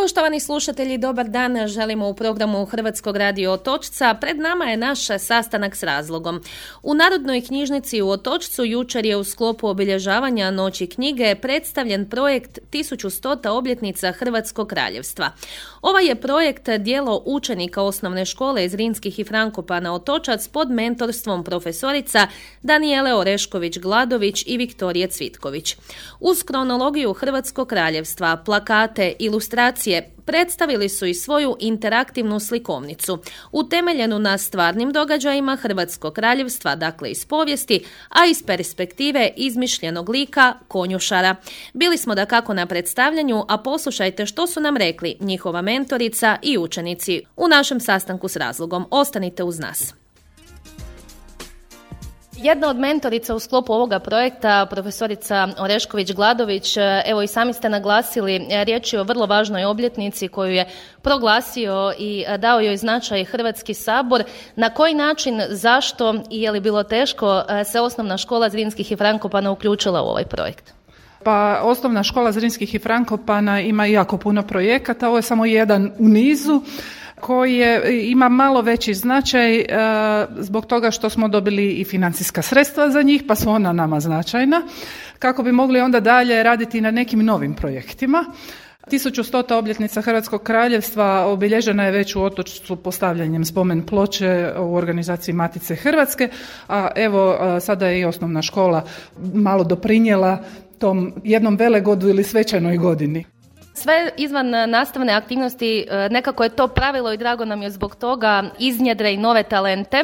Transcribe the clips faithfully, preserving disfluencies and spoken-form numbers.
Poštovani slušatelji, dobar dan. Želimo u programu Hrvatskog radio Otočca. Pred nama je naš sastanak s razlogom. U Narodnoj knjižnici u Otočcu jučer je u sklopu obilježavanja Noći knjige predstavljen projekt tisuću stota obljetnica Hrvatskog kraljevstva. Ovaj je projekt djelo učenika osnovne škole iz Zrinskih i Frankopana Otočac pod mentorstvom profesorica Danijele Orešković-Gladović i Viktorije Cvitković. Uz kronologiju Hrvatskog kraljevstva, plakate, ilustracije, predstavili su i svoju interaktivnu slikovnicu, utemeljenu na stvarnim događajima Hrvatskog kraljevstva, dakle iz povijesti, a iz perspektive izmišljenog lika konjušara. Bili smo dakako na predstavljanju, a poslušajte što su nam rekli njihova mentorica i učenici u našem sastanku s razlogom. Ostanite uz nas. Jedna od mentorica u sklopu ovoga projekta, profesorica Orešković-Gladović, evo i sami ste naglasili, riječ je o vrlo važnoj obljetnici koju je proglasio i dao joj značaj Hrvatski sabor. Na koji način, zašto i je li bilo teško se osnovna škola Zrinskih i Frankopana uključila u ovaj projekt? Pa osnovna škola Zrinskih i Frankopana ima jako puno projekata, ovo je samo jedan u nizu koji je, ima malo veći značaj e, zbog toga što smo dobili i financijska sredstva za njih, pa su ona nama značajna, kako bi mogli onda dalje raditi na nekim novim projektima. tisuću stota obljetnica Hrvatskog kraljevstva obilježena je već u Otočcu postavljanjem spomen ploče u organizaciji Matice Hrvatske, a evo sada je i osnovna škola malo doprinijela tom jednom velegodu ili svečanoj godini. Sve izvan nastavne aktivnosti, nekako je to pravilo i drago nam je zbog toga, iznjedre i nove talente.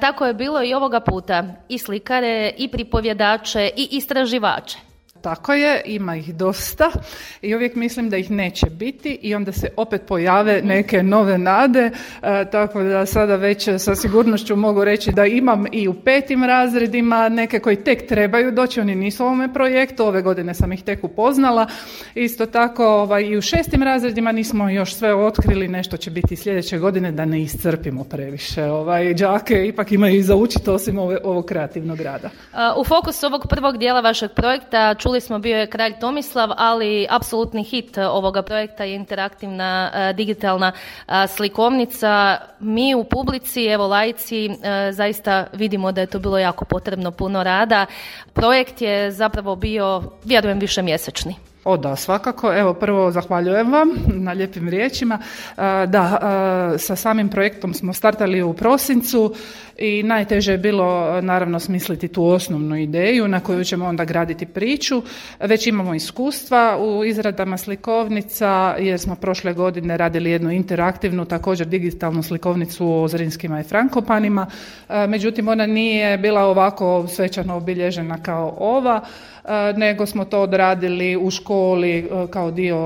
Tako je bilo i ovoga puta. I slikare, i pripovjedače, i istraživače. Tako je, ima ih dosta i uvijek mislim da ih neće biti i onda se opet pojave neke nove nade, e, tako da sada već sa sigurnošću mogu reći da imam i u petim razredima neke koji tek trebaju doći, oni nisu u ovome projektu, ove godine sam ih tek upoznala. Isto tako ovaj, i u šestim razredima nismo još sve otkrili, nešto će biti sljedeće godine da ne iscrpimo previše. Ovaj, đake ipak imaju i za učiti osim ove, ovog kreativnog rada. U fokusu ovog prvog dijela vašeg projekta čuli smo bio je Kralj Tomislav, ali apsolutni hit ovoga projekta je interaktivna uh, digitalna uh, slikovnica. Mi u publici, evo laici, uh, zaista vidimo da je to bilo jako potrebno puno rada. Projekt je zapravo bio, vjerujem, višemjesečni. O da, svakako. Evo, prvo zahvaljujem vam na lijepim riječima. Da, sa samim projektom smo startali u prosincu i najteže je bilo naravno smisliti tu osnovnu ideju na koju ćemo onda graditi priču. Već imamo iskustva u izradama slikovnica jer smo prošle godine radili jednu interaktivnu, također digitalnu slikovnicu o Zrinskima i Frankopanima. Međutim, ona nije bila ovako svečano obilježena kao ova, nego smo to odradili u školi kao dio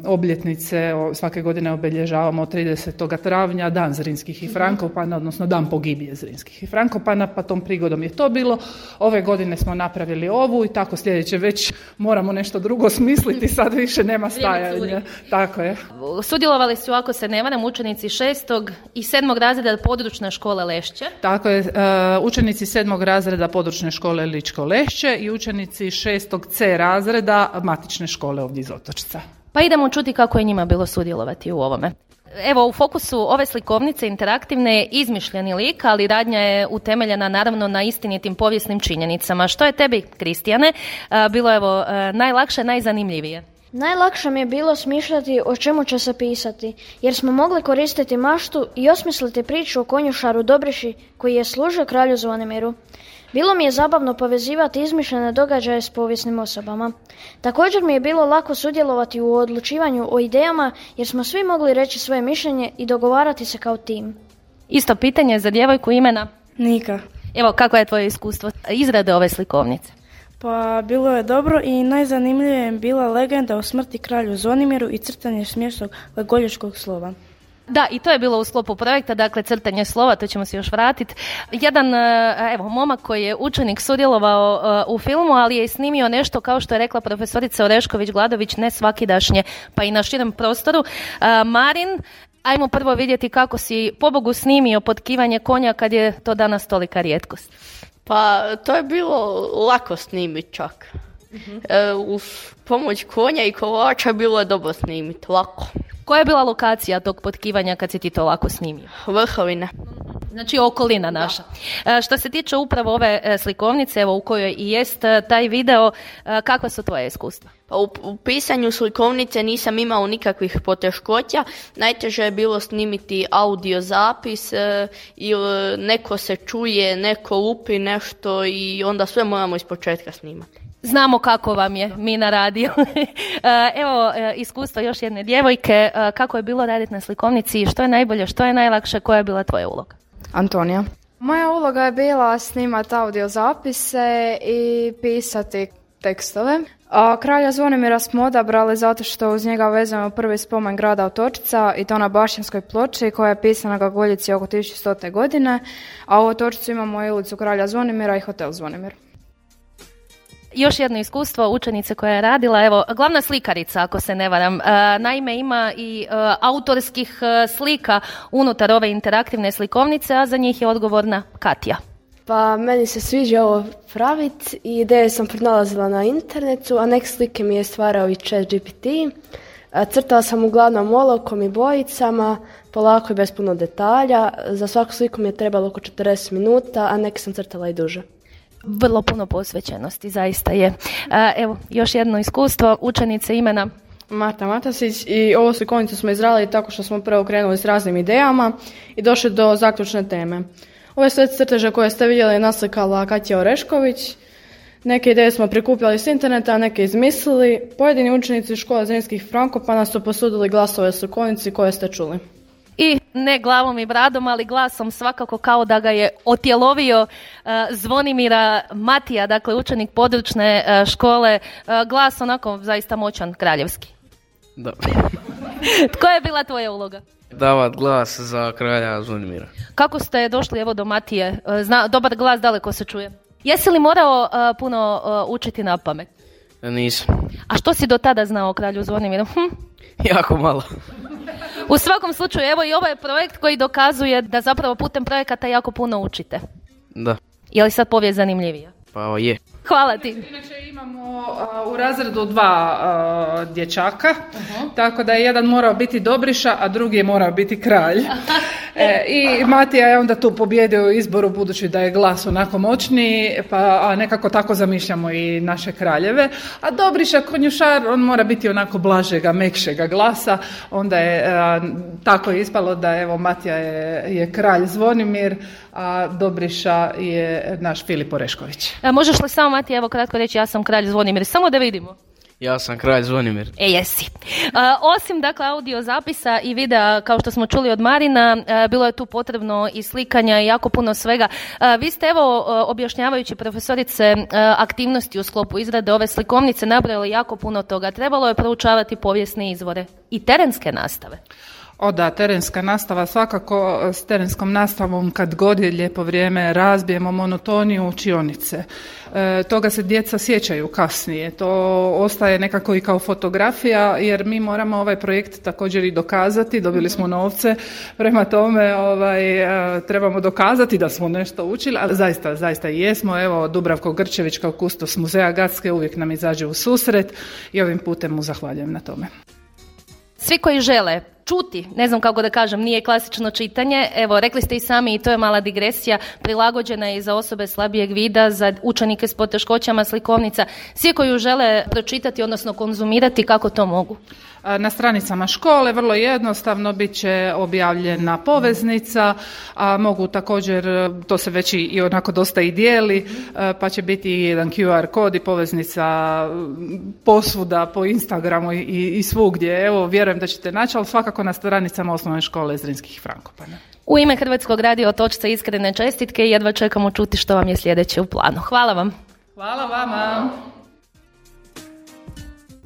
obljetnice. Svake godine obilježavamo tridesetog travnja Dan Zrinskih i Frankopana, odnosno Dan pogibije Zrinskih i Frankopana, pa tom prigodom je to bilo. Ove godine smo napravili ovu i tako sljedeće već moramo nešto drugo smisliti, sad više nema stajanja. Tako je. Sudjelovali su, ako se ne varam, učenici šestog i sedmog razreda područne škole Lešće. Tako je, učenici sedmog razreda područne škole Ličko Lešće i učenici šestog C razreda matične škole ovdje iz Otočca. Pa idemo čuti kako je njima bilo sudjelovati u ovome. Evo, u fokusu ove slikovnice interaktivne je izmišljeni lik, ali radnja je utemeljena naravno na istinitim povijesnim činjenicama. Što je tebi, Kristijane, bilo evo najlakše, najzanimljivije? Najlakše mi je bilo smišljati o čemu će se pisati, jer smo mogli koristiti maštu i osmisliti priču o konjušaru Dobriši koji je služio kralju Zvonimiru. Bilo mi je zabavno povezivati izmišljene događaje s povijesnim osobama. Također mi je bilo lako sudjelovati u odlučivanju o idejama jer smo svi mogli reći svoje mišljenje i dogovarati se kao tim. Isto pitanje za djevojku, imena? Nika. Evo, kako je tvoje iskustvo izrade ove slikovnice? Pa bilo je dobro i najzanimljivije je bila legenda o smrti kralju Zvonimiru i crtanje smiješnog glagoljačkog slova. Da, i to je bilo u sklopu projekta, dakle crtanje slova, to ćemo se još vratiti. Jedan, evo, momak koji je učenik sudjelovao u filmu, ali je snimio nešto, kao što je rekla profesorica Orešković-Gladović, ne svakidašnje, pa i na širem prostoru. Marin, ajmo prvo vidjeti kako si pobogu snimio potkivanje konja kad je to danas tolika rijetkost. Pa to je bilo lako snimiti čak. Uh-huh. E, uz pomoć konja i kolača bilo je dobro snimiti, lako. Koja je bila lokacija tog potkivanja kad si ti to lako snimio? Vrhovina. Znači okolina naša. E, što se tiče upravo ove e, slikovnice, evo u kojoj i jest e, taj video, e, kakva su tvoje iskustva? Pa u, u pisanju slikovnice nisam imao nikakvih poteškoća. Najteže je bilo snimiti audio zapis e, ili neko se čuje, neko lupi nešto i onda sve moramo iz početka snimati. Znamo kako vam je, mi na radiju. Evo iskustvo još jedne djevojke. Kako je bilo raditi na slikovnici? Što je najbolje, što je najlakše? Koja je bila tvoja uloga? Antonija. Moja uloga je bila snimati audio zapise i pisati tekstove. A kralja Zvonimira smo odabrali zato što uz njega vezujemo prvi spomen grada Otočca i to na Bašćanskoj ploči koja je pisana na Gaguljici oko tisuću stote godine, a u Otočcu imamo i ulicu kralja Zvonimira i hotel Zvonimir. Još jedno iskustvo učenice koja je radila, evo, glavna slikarica, ako se ne varam. Naime, ima i autorskih slika unutar ove interaktivne slikovnice, a za njih je odgovorna Katja. Pa meni se sviđa ovo praviti i ideje sam pronalazila na internetu, a neke slike mi je stvarao i Chat G P T. Crtala sam uglavnom olovkom i bojicama, polako i bez puno detalja. Za svaku sliku mi je trebalo oko četrdeset minuta, a neke sam crtala i duže. Vrlo puno posvećenosti, zaista je. Evo, još jedno iskustvo, učenice imena Marta Matasić i ovu slikovnicu smo izradili tako što smo prvo krenuli s raznim idejama i došli do zaključne teme. Ove sve crteže koje ste vidjeli je naslikala Katja Orešković. Neke ideje smo prikupljali s interneta, a neke izmislili. Pojedini učenici škole Zrinskih Frankopana su posudili glasove slikovnici koje ste čuli. I ne glavom i bradom, ali glasom svakako kao da ga je otjelovio uh, Zvonimira Matija, dakle učenik područne uh, škole, uh, glas onako zaista moćan, kraljevski. Da. Koja je bila tvoja uloga? Davat glas za kralja Zvonimira. Kako ste došli evo do Matije? Uh, zna, dobar glas daleko se čuje. Jesi li morao uh, puno uh, učiti na pamet? Nisam. A što si do tada znao o kralju Zvonimiru? Hm? Jako malo. U svakom slučaju, evo i ovaj projekt koji dokazuje da zapravo putem projekata jako puno učite. Da. Je li sad povijest zanimljivija? Pa je. Hvala ti. Inače imamo uh, u razredu dva uh, dječaka, uh-huh. tako da je jedan morao biti Dobriša, a drugi je morao biti kralj. e, I Matija je onda tu pobjedio u izboru budući da je glas onako moćniji, pa a nekako tako zamišljamo i naše kraljeve. A Dobriša konjušar, on mora biti onako blažega, mekšega glasa, onda je uh, tako ispalo da evo Matija je, je kralj Zvonimir, a Dobriša je naš Filip Orešković. A možeš li samo, Matija, evo kratko reći, ja sam kralj Zvonimir, samo da vidimo. Ja sam kralj Zvonimir. E, jesi. A, osim, dakle, audio zapisa i videa, kao što smo čuli od Marina, a, bilo je tu potrebno i slikanja i jako puno svega. A, vi ste, evo, objašnjavajući profesorice a, aktivnosti u sklopu izrade ove slikovnice, nabrojali jako puno toga. Trebalo je proučavati povijesne izvore i terenske nastave. O da, terenska nastava, svakako s terenskom nastavom kad god je lijepo vrijeme razbijemo monotoniju učionice. E, toga se djeca sjećaju kasnije, to ostaje nekako i kao fotografija jer mi moramo ovaj projekt također i dokazati, dobili smo novce, prema tome ovaj, e, trebamo dokazati da smo nešto učili, ali zaista, zaista i jesmo. Evo, Dubravko Grčević kao kustos muzeja Gatske uvijek nam izađe u susret i ovim putem mu zahvaljujem na tome. Svi koji žele čuti, ne znam kako da kažem, nije klasično čitanje, evo, rekli ste i sami i to je mala digresija, prilagođena je i za osobe slabijeg vida, za učenike s poteškoćama, slikovnica, svi koji ju žele pročitati, odnosno konzumirati, kako to mogu? Na stranicama škole vrlo jednostavno bit će objavljena poveznica, a mogu također, to se već i onako dosta i dijeli, pa će biti jedan Q R kod i poveznica posvuda po Instagramu i, i svugdje. Evo, vjerujem da ćete naći, ali svakako na stranicama osnovne škole Zrinskih Frankopana. U ime Hrvatskog radija Otočca iskrene čestitke i jedva čekamo čuti što vam je sljedeće u planu. Hvala vam. Hvala vama.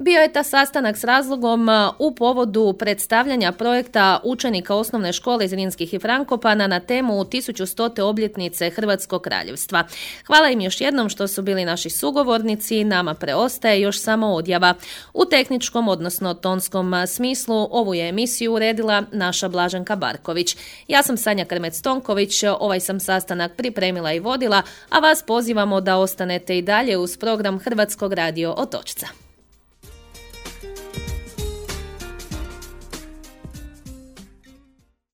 Bio je ta sastanak s razlogom u povodu predstavljanja projekta učenika osnovne škole iz Zrinskih i Frankopana na temu tisuću stote obljetnice Hrvatskog kraljevstva. Hvala im još jednom što su bili naši sugovornici, nama preostaje još samo odjava. U tehničkom, odnosno tonskom smislu, ovu je emisiju uredila naša Blaženka Barković. Ja sam Sanja Krmec-Tonković, ovaj sam sastanak pripremila i vodila, a vas pozivamo da ostanete i dalje uz program Hrvatskog radio Otočca.